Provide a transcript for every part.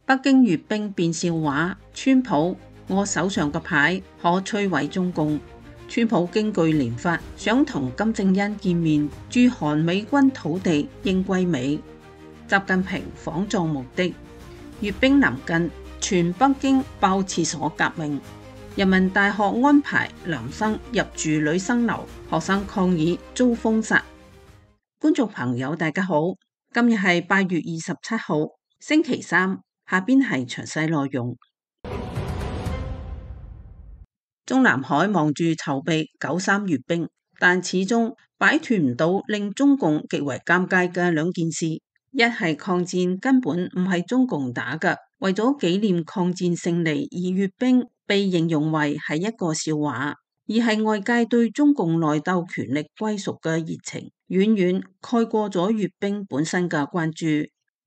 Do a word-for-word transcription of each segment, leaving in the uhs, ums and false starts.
北京閱兵變笑話，川普，我手上嘅牌可摧毀中共。川普驚據連發，想同金正恩見面，駐韓美軍土地應歸美。習近平訪藏目的，閱兵臨近，全北京爆廁所革命。人民大學安排男生入住女生樓，學生抗議遭封殺。觀眾朋友大家好，今日係八月二十七號，星期三。下邊係詳細內容。中南海忙住籌備九三閱兵，但始終擺脫唔到令中共極為尷尬嘅兩件事。一係抗戰根本唔係中共打嘅，為咗紀念抗戰勝利而閱兵，被形容為係一個笑話；二係外界對中共內鬥權力歸屬嘅熱情，遠遠蓋過咗閱兵本身嘅關注。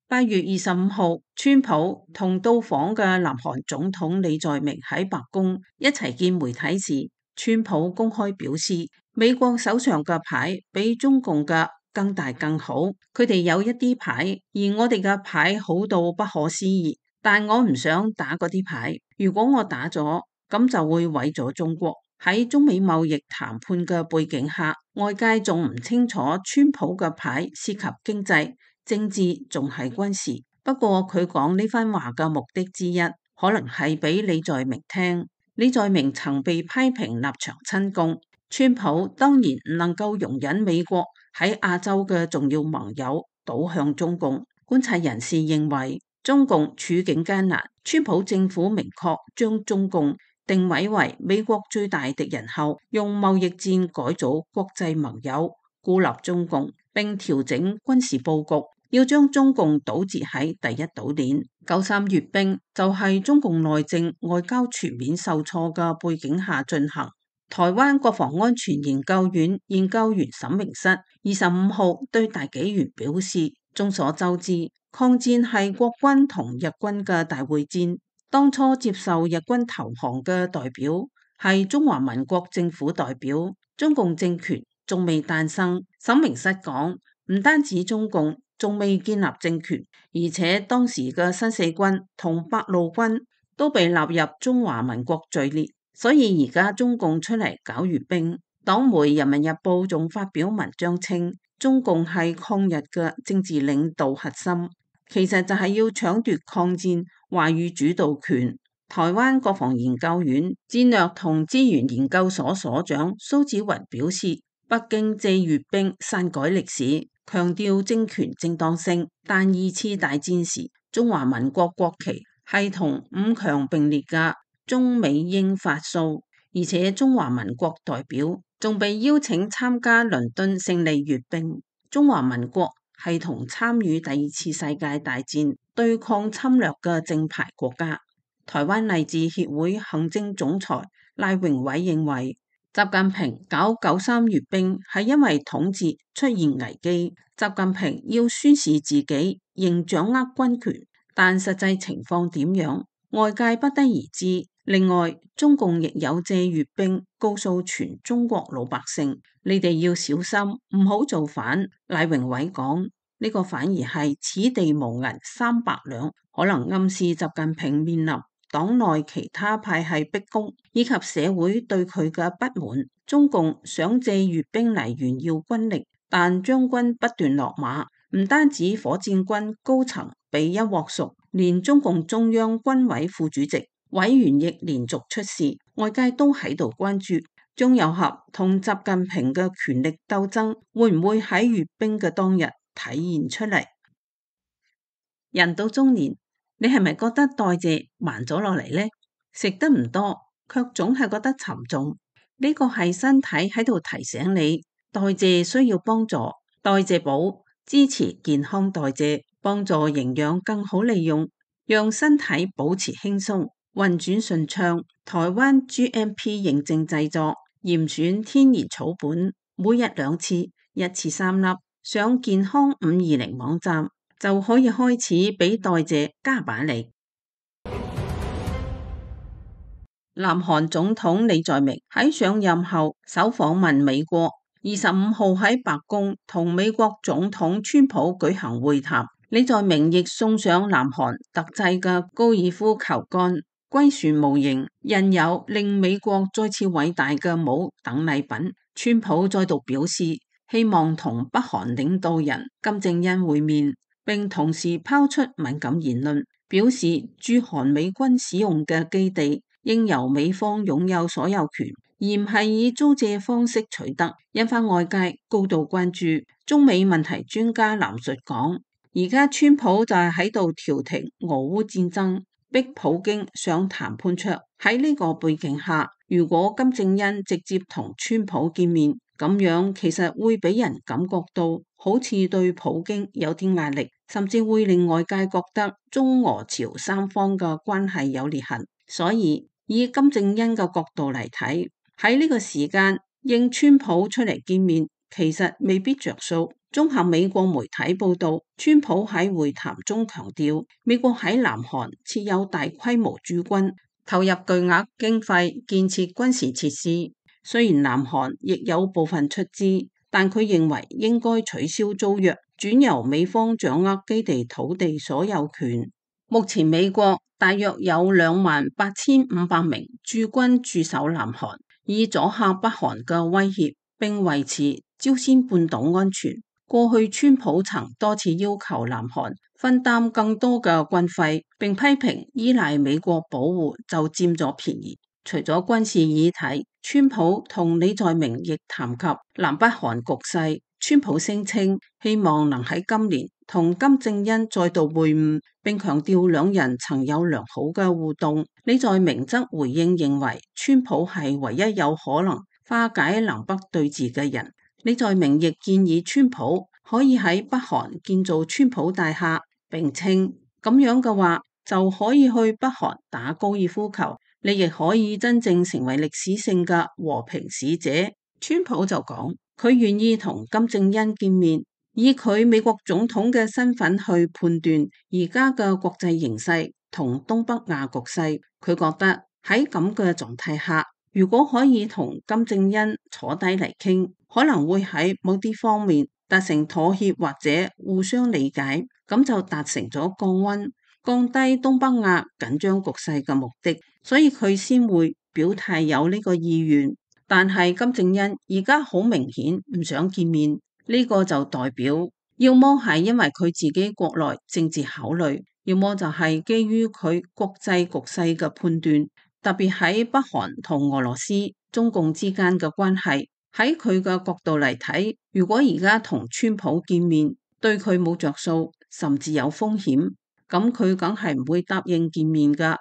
八月二十五號，川普同到訪嘅南韓總統李在明喺白宮一齊見媒體時，川普公開表示，美國手上嘅牌比中共嘅更大更好，佢哋有一啲牌，而我哋嘅牌好到不可思議，但我唔想打嗰啲牌，如果我打咗，咁就會毀咗中國。喺中美貿易談判嘅背景下，外界仲唔清楚川普嘅牌涉及經濟、政治仲係軍事。不過佢講呢番話嘅目的之一，可能係俾李在明聽。李在明曾被批評立場親共，川普當然唔能夠容忍美國喺亞洲嘅重要盟友倒向中共。觀察人士認為，中共處境艱難，川普政府明確將中共定位為美國最大敵人後，用貿易戰改組國際盟友，孤立中共，並調整軍事佈局，要將中共堵截喺第一島鏈。九三閱兵就係中共內政外交全面受挫嘅背景下進行。台灣國防安全研究院研究員沈明室二十五號對大紀元表示，眾所周知，抗戰係國軍同日軍嘅大會戰。當初接受日軍投降嘅代表係中華民國政府代表，中共政權仲未誕生。沈明室講，唔單止中共仲未建立政權，而且當時嘅新四軍同八路軍都被納入中華民國序列，所以而家中共出嚟搞閱兵。黨媒《人民日報》仲發表文章稱，中共係抗日嘅政治領導核心，其實就係要搶奪抗戰話語主導權。台灣國防研究院戰略同資源研究所所長蘇紫雲表示，北京借閱兵篡改歷史，強調政權正當性，但二次大戰時中華民國國旗係同五強並列嘅中美英法蘇，而且中華民國代表仲被邀請參加倫敦勝利閱兵。中華民國係同參與第二次世界大戰對抗侵略嘅正牌國家。台灣勵志協會行政總裁賴榮偉認為，習近平搞九三閱兵係因為統治出現危機，習近平要宣示自己仍掌握軍權，但實際情況點樣，外界不得而知。另外，中共亦有借閱兵告訴全中國老百姓，你哋要小心，唔好造反。賴榮偉講，呢個反而係此地無銀三百兩，可能暗示習近平面臨黨內其他派系逼宮，以及社會對佢嘅不滿。中共想借閱兵嚟炫耀軍力，但將軍不斷落馬，唔單止火箭軍高層被一鑊熟，連中共中央軍委副主席委員亦連續出事，外界都喺度關注張又俠同習近平嘅權力鬥爭會唔會喺閱兵嘅當日體現出嚟。人到中年，你係咪覺得代謝慢咗落嚟呢？食得唔多，卻總係覺得沉重。呢個係身體喺度提醒你，代謝需要幫助。代謝寶支持健康代謝，幫助營養更好利用，讓身體保持輕鬆、運轉順暢。台灣 G M P 認證製作，嚴選天然草本，每日兩次，一次三粒。上健康五二零網站就可以開始俾代謝加把力。南韓總統李在明喺上任後首訪問美國，二十五號喺白宮同美國總統川普舉行會談。李在明亦送上南韓特製嘅高爾夫球桿、龜船模型、印有令美國再次偉大嘅帽等禮品。川普再度表示希望同北韓領導人金正恩會面，並同時拋出敏感言論，表示駐韓美軍使用嘅基地應由美方擁有所有權，而唔係以租借方式取得，引發外界高度關注。中美問題專家藍述講，而家川普就係喺度調停俄烏戰爭，逼普京上談判桌。喺呢個背景下，如果金正恩直接同川普見面，咁樣其實會俾人感覺到好似對普京有啲壓力，甚至會令外界覺得中俄朝三方嘅關係有裂痕。所以以金正恩嘅角度嚟睇，喺呢個時間應川普出嚟見面，其實未必着數。綜合美國媒體報道，川普喺會談中強調，美國喺南韓設有大規模駐軍，投入巨額經費建設軍事設施。雖然南韓亦有部分出資，但佢認為應該取消租約，轉由美方掌握基地土地所有權。目前美國大約有兩萬八千五百名駐軍駐守南韓，以阻嚇北韓嘅威脅，並維持朝鮮半島安全。過去川普曾多次要求南韓分擔更多嘅軍費，並批評依賴美國保護就佔咗便宜。除咗軍事議題，川普同李在明亦談及南北韓局勢。川普聲稱希望能喺今年同金正恩再度會晤，並強調兩人曾有良好嘅互動。李在明則回應認為川普係唯一有可能化解南北對峙嘅人。李在明亦建議川普可以喺北韓建造川普大廈，並稱咁樣嘅話就可以去北韓打高爾夫球，你亦可以真正成為歷史性嘅和平使者。川普就講佢願意同金正恩見面，以佢美國總統嘅身份去判斷而家嘅國際形勢同東北亞局勢。佢覺得喺咁嘅狀態下，如果可以同金正恩坐低嚟傾，可能會喺某啲方面達成妥協或者互相理解，咁就達成咗降溫、降低東北亞緊張局勢嘅目的，所以佢先會表態有呢個意願。但係金正恩而家好明顯唔想見面，呢個就代表要麼係因為佢自己國內政治考慮，要麼就係基於佢國際局勢嘅判斷。特別喺北韓同俄羅斯、中共之間嘅關係，喺佢嘅角度嚟睇，如果而家同川普見面，對佢冇着數，甚至有風險，咁佢梗係唔會答應見面噶。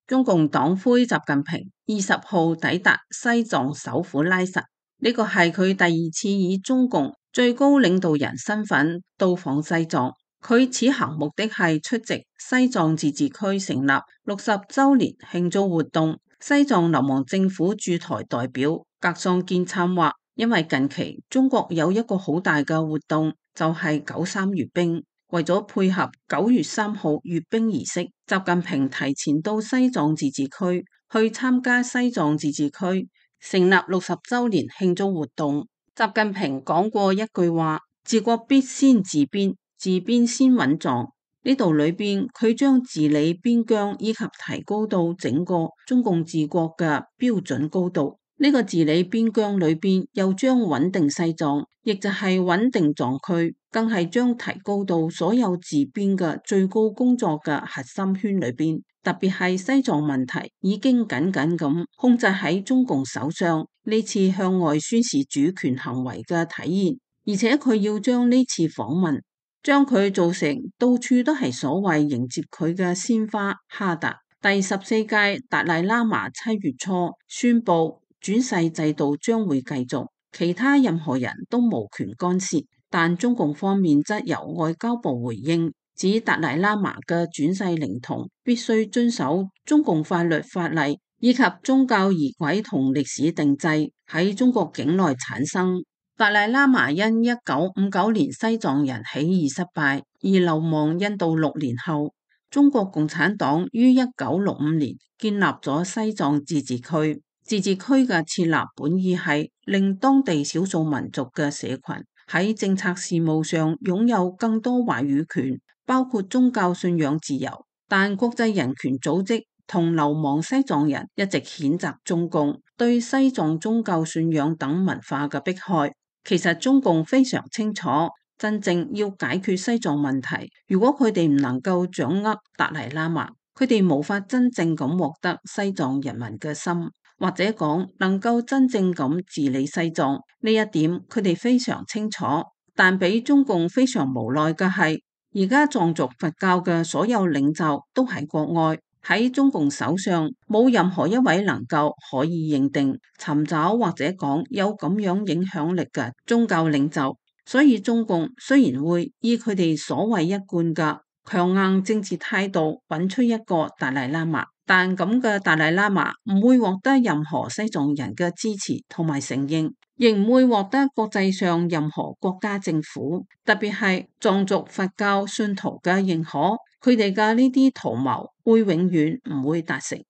中共黨魁習近平二十號抵達西藏首府拉薩，呢個係佢第二次以中共最高領導人身份到訪西藏。佢此行目的係出席西藏自治區成立六十週年慶祝活動。西藏流亡政府駐台代表格桑堅參話，因為近期中國有一個好大嘅活動，就係九三閱兵。為咗配合九月三號閱兵儀式，習近平提前到西藏自治區去參加西藏自治區成立六十週年慶祝活動。習近平講過一句話：治國必先治邊，治邊先穩藏。呢度裏邊佢將治理邊疆以及提高到整個中共治國嘅標準高度。呢個治理邊疆裏邊又將穩定西藏，亦就係穩定藏區，更係將提高到所有治邊嘅最高工作嘅核心圈裏邊。特別係西藏問題已經緊緊咁控制喺中共手上，呢次向外宣示主權行為嘅體現。而且佢要將呢次訪問將佢做成到處都係所謂迎接佢嘅鮮花哈達。第十四屆達賴喇嘛七月初宣布轉世制度將會繼續，其他任何人都無權干涉。但中共方面則由外交部回應，指達賴喇嘛嘅轉世靈童必須遵守中共法律法例以及宗教儀軌同歷史定制喺中國境內產生。達賴喇嘛因一九五九年西藏人起義失敗而流亡印度六年後，中國共產黨於一九六五年建立咗西藏自治區。自治區嘅設立本意係令當地少數民族嘅社群喺政策事務上擁有更多話語權，包括宗教信仰自由。但國際人權組織同流亡西藏人一直譴責中共對西藏宗教信仰等文化嘅迫害。其實中共非常清楚，真正要解決西藏問題，如果佢哋唔能夠掌握達賴喇嘛，佢哋無法真正咁獲得西藏人民嘅心，或者講能夠真正咁治理西藏。呢一點佢哋非常清楚。但俾中共非常無奈嘅係，而家藏族佛教嘅所有領袖都喺國外，喺中共手上冇任何一位能夠可以認定、尋找或者講有咁樣影響力嘅宗教領袖。所以中共雖然會以佢哋所謂一貫嘅強硬政治態度揾出一個達賴喇嘛，但咁嘅達賴喇嘛唔會獲得任何西藏人嘅支持同埋承認，亦唔會獲得國際上任何國家政府，特別係藏族佛教信徒嘅認可。佢哋嘅呢啲圖謀會永遠唔會達成。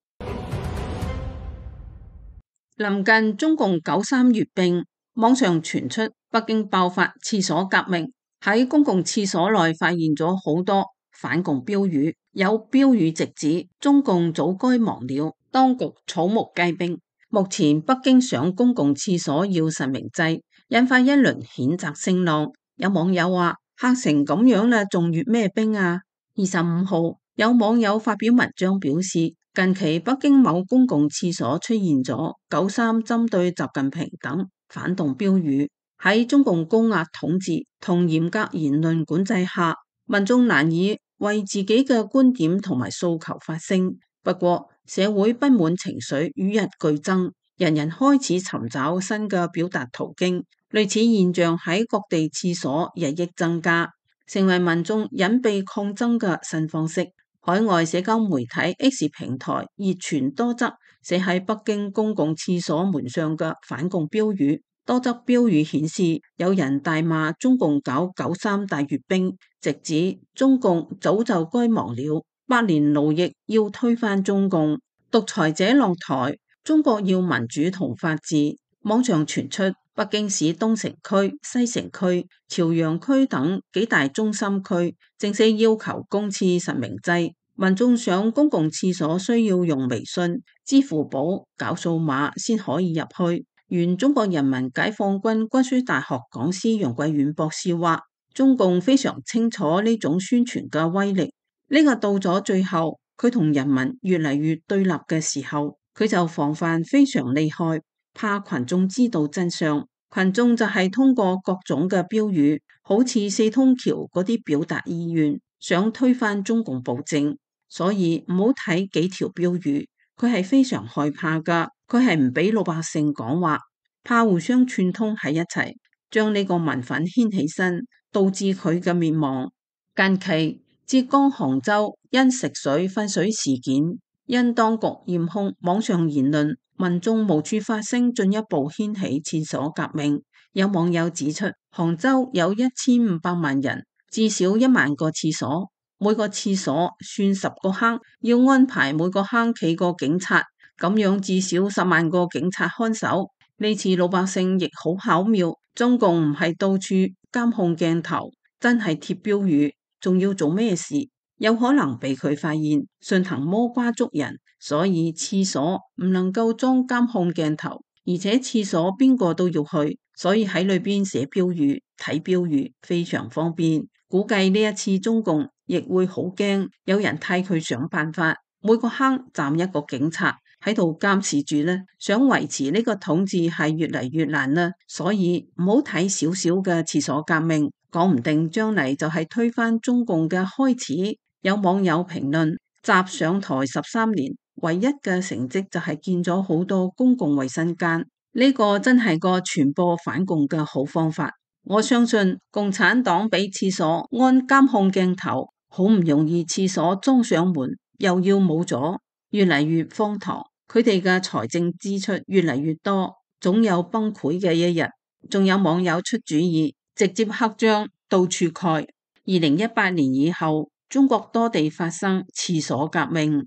臨近中共九三閱兵，網上傳出北京爆發廁所革命，喺公共廁所內發現咗好多反共標語，有標語直指中共早該亡了，當局草木皆兵。目前北京上公共廁所要實名制，引發一輪譴責聲浪。有網友話：嚇成咁樣啦，仲閱咩兵啊？二十五號有網友發表文章表示，近期北京某公共廁所出現咗九三針對習近平等反動標語。喺中共高壓統治同嚴格言論管制下，民眾難以為自己嘅觀點同埋訴求發聲。不過社會不滿情緒與日俱增，人人開始尋找新嘅表達途徑。類似現象喺各地廁所日益增加，成為民眾隱蔽抗爭嘅新方式。海外社交媒體 X 平台熱傳多則寫喺北京公共廁所門上嘅反共標語，多則標語顯示有人大罵中共搞九三大閱兵，直指中共早就該亡了，百年奴役要推翻中共，獨裁者落台，中國要民主同法治。網上傳出北京市東城區、西城區、朝陽區等幾大中心區正式要求公廁實名制，民眾上公共廁所需要用微信、支付寶搞數碼先可以入去。原中國人民解放軍軍需大學講師楊貴遠博士話：中共非常清楚呢種宣傳嘅威力，呢個到咗最後，佢同人民越嚟越對立嘅時候，佢就防範非常厲害，怕群眾知道真相。群眾就係通過各種嘅標語，好似四通橋嗰啲表達意願，想推翻中共暴政。所以唔好睇幾條標語，佢係非常害怕噶，佢係唔俾老百姓講話，怕互相串通喺一齊，將呢個民憤掀起身，導致佢嘅滅亡。近期浙江杭州因食水分水事件，因當局嚴控網上言論，民眾無處發聲，進一步掀起廁所革命。有網友指出，杭州有一千五百萬人，至少一萬個廁所，每個廁所算十個坑，要安排每個坑企個警察，咁樣至少十萬個警察看守。呢次老百姓亦好巧妙，中共唔係到處監控鏡頭，真係貼標語，仲要做咩事？有可能被佢發現，順藤摸瓜捉人。所以廁所唔能夠裝監控鏡頭，而且廁所邊個都要去，所以喺裏邊寫標語、睇標語非常方便。估計呢一次中共亦會好驚，有人替佢想辦法，每個坑站一個警察喺度監視住呢，想維持呢個統治係越嚟越難啦。所以唔好睇少少嘅廁所革命，講唔定將嚟就係推翻中共嘅開始。有網友評論：習上台十三年，唯一嘅成績就係建咗好多公共衛生間，呢個真係個傳播反共嘅好方法。我相信共產黨俾廁所安監控鏡頭，好唔容易廁所裝上門，又要冇咗，越嚟越荒唐。佢哋嘅財政支出越嚟越多，總有崩潰嘅一日。仲有網友出主意，直接黑章到處蓋。二零一八年以後，中國多地發生廁所革命。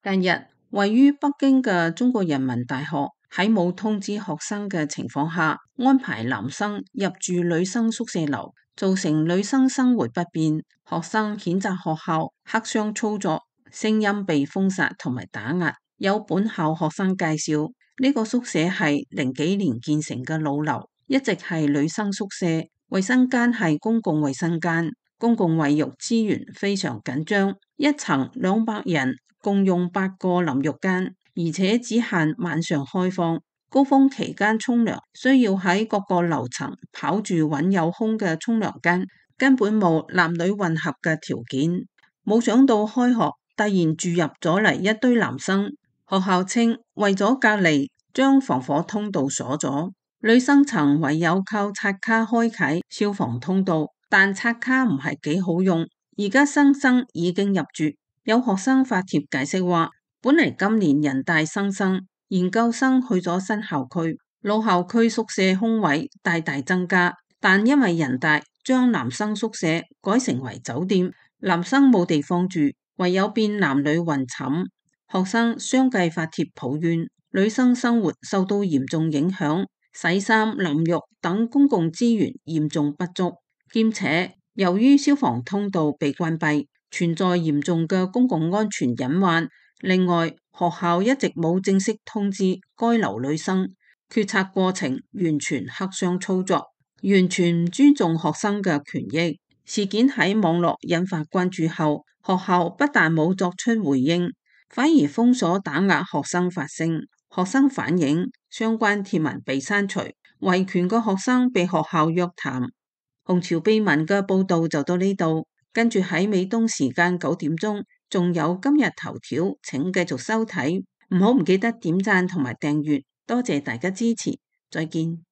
近日，位於北京嘅中國人民大學喺冇通知學生嘅情況下，安排男生入住女生宿舍樓，造成女生生活不便。學生譴責學校黑箱操作，聲音被封殺同埋打壓。有本校學生介紹，呢個宿舍係零幾年建成嘅老樓，一直係女生宿舍，衛生間係公共衛生間，公共衛浴資源非常緊張，一層兩百人共用八個淋浴間，而且只限晚上開放。高峰期間沖涼需要喺各個樓層跑住揾有空嘅沖涼間，根本冇男女混合嘅條件。冇想到開學突然住入咗嚟一堆男生，學校稱為咗隔離，將防火通道鎖咗，女生層唯有靠刷卡開啟消防通道，但刷卡唔係幾好用。而家新生已經入住，有學生發帖解釋話，本嚟今年人大新生、研究生去咗新校區，老校區宿舍空位大大增加，但因為人大將男生宿舍改成為酒店，男生冇地方住，唯有變男女混寢。學生相繼發帖抱怨，女生生活受到嚴重影響，洗衫、淋浴等公共資源嚴重不足，兼且由於消防通道被關閉，存在嚴重嘅公共安全隱患。另外，學校一直冇正式通知該樓女生，決策過程完全黑箱操作，完全唔尊重學生嘅權益。事件喺網絡引發關注後，學校不但冇作出回應，反而封鎖打壓學生發聲。學生反映相關貼文被刪除，維權嘅學生被學校約談。紅潮秘聞嘅報道就到呢度，跟住喺美東時間九點鐘，仲有今日頭條，請繼續收睇，唔好唔記得點讚同埋訂閱，多謝大家支持，再見。